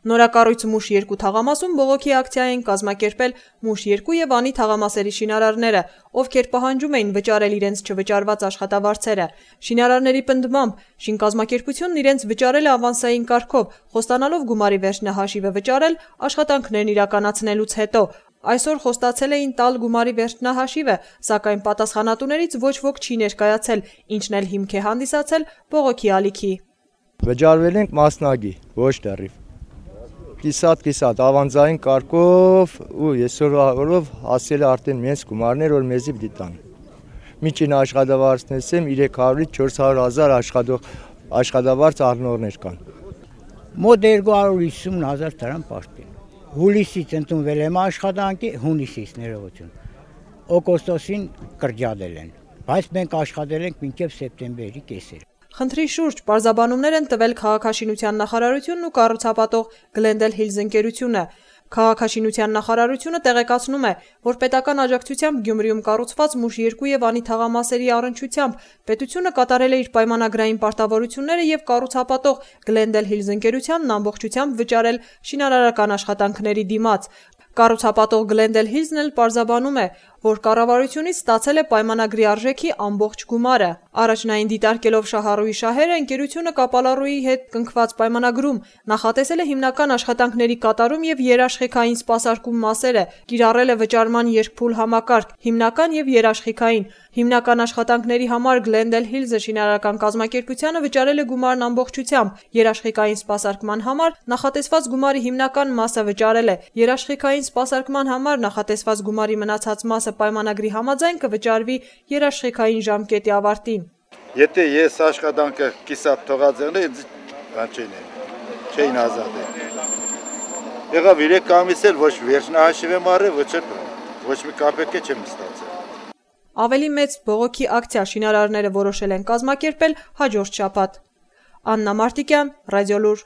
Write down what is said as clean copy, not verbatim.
Նորակառույց Մուշ 2 թաղամասում բողոքի ակցիա են կազմակերպել Մուշ 2 եւ Անի թաղամասերի շինարարները, ովքեր պահանջում էին վճարել իրենց չվճարված աշխատավարձերը։ Շինարարների պնդմամբ շինկազմակերպությունն իրենց վճարել է ավանսային կարգով, խոստանալով գումարի վերջնահաշիվը վճարել աշխատանքներն իրականացնելուց հետո։ Այսօր խոստացել էին տալ գումարի վերջնահաշիվը, սակայն պատասխանատուներից ոչ ոք չի ներկայացել, ինչն էլ հիմք է հանդիսացել բողոքի ալիքի։ Վճարվել ենք մասնագի, ոչ դեռիվ։ Կիսատ ավանձային կարգով ու այսօրվա օրով հասել է արդեն մեծ գումարներ, որ մեզի պիտի տան։ Միջին աշխատավարձներս 300-ից 400,000 աշխատավարձ առնողներ կան։ Մոտ 250,000 դրամ պարտին։ Հուլիսից ընդունվել եմ աշխատանքի, հունիսից ներողություն։ Օգոստոսին կրճատել են, բայց մենք աշխատել ենք մինչև սեպտեմբերի կեսերը։ Խնդրի շուրջ պարզաբանումներ են տվել քաղաքաշինության նախարարությունն ու կառուցապատող Glendale Hills ընկերությունը։ Քաղաքաշինության նախարարությունը տեղեկացնում է, որ պետական աջակցությամբ Գյումրիում կառուցված Մուշ 2 եւ Անի թաղամասերի առնչությամբ պետությունը կատարել է իր պայմանագրային պարտավորությունները եւ կառուցապատող Glendale Hills ընկերությանն ամբողջությամբ վճարել շինարարական աշխատանքների դիմաց։ Կառուցապատող Glendale Hills-ն էլ պարզաբանում է, որ կառավարությունից ստացել է պայմանագրի արժեքի ամբողջ գումարը։ Առաջնային դիտարկելով շահառուի շահերը, ընկերությունը կապալառուի հետ կնքված պայմանագրում նախատեսել է հիմնական աշխատանքների կատարում եւ երաշխիքային սպասարկում մասերը, կիրառել է վճարման երկփուլ համակարգ, հիմնական եւ երաշխիքային։ Հիմնական աշխատանքների համար Glendale Hills-ը շինարարական կազմակերպությանը վճարել է գումարն ամբողջությամբ, երաշխիքային սպասարկման համար նախատեսված գումարի հիմնական մասը վճարել է, երաշխիքային սպասարկման համար նախատեսված գումարի մնացած մասը պայմանագրի համաձայն կվճարվի երաշխիքային ժամկետի ավարտին։ Եթե ես աշխատանքը կիսատ թողած եղնեի, չէին ազատել։ Եղավ 3 ամիս էլ ոչ վերջնահաշիվ եմ առել, ոչ մի կապեկ չեմ ստացել։ Ավելի մեծ բողոքի ակցիա շինարարները որոշել են կազմակերպել հաջորդ շաբաթ։ Աննա Մարտիկյան, Ռադիոլուր։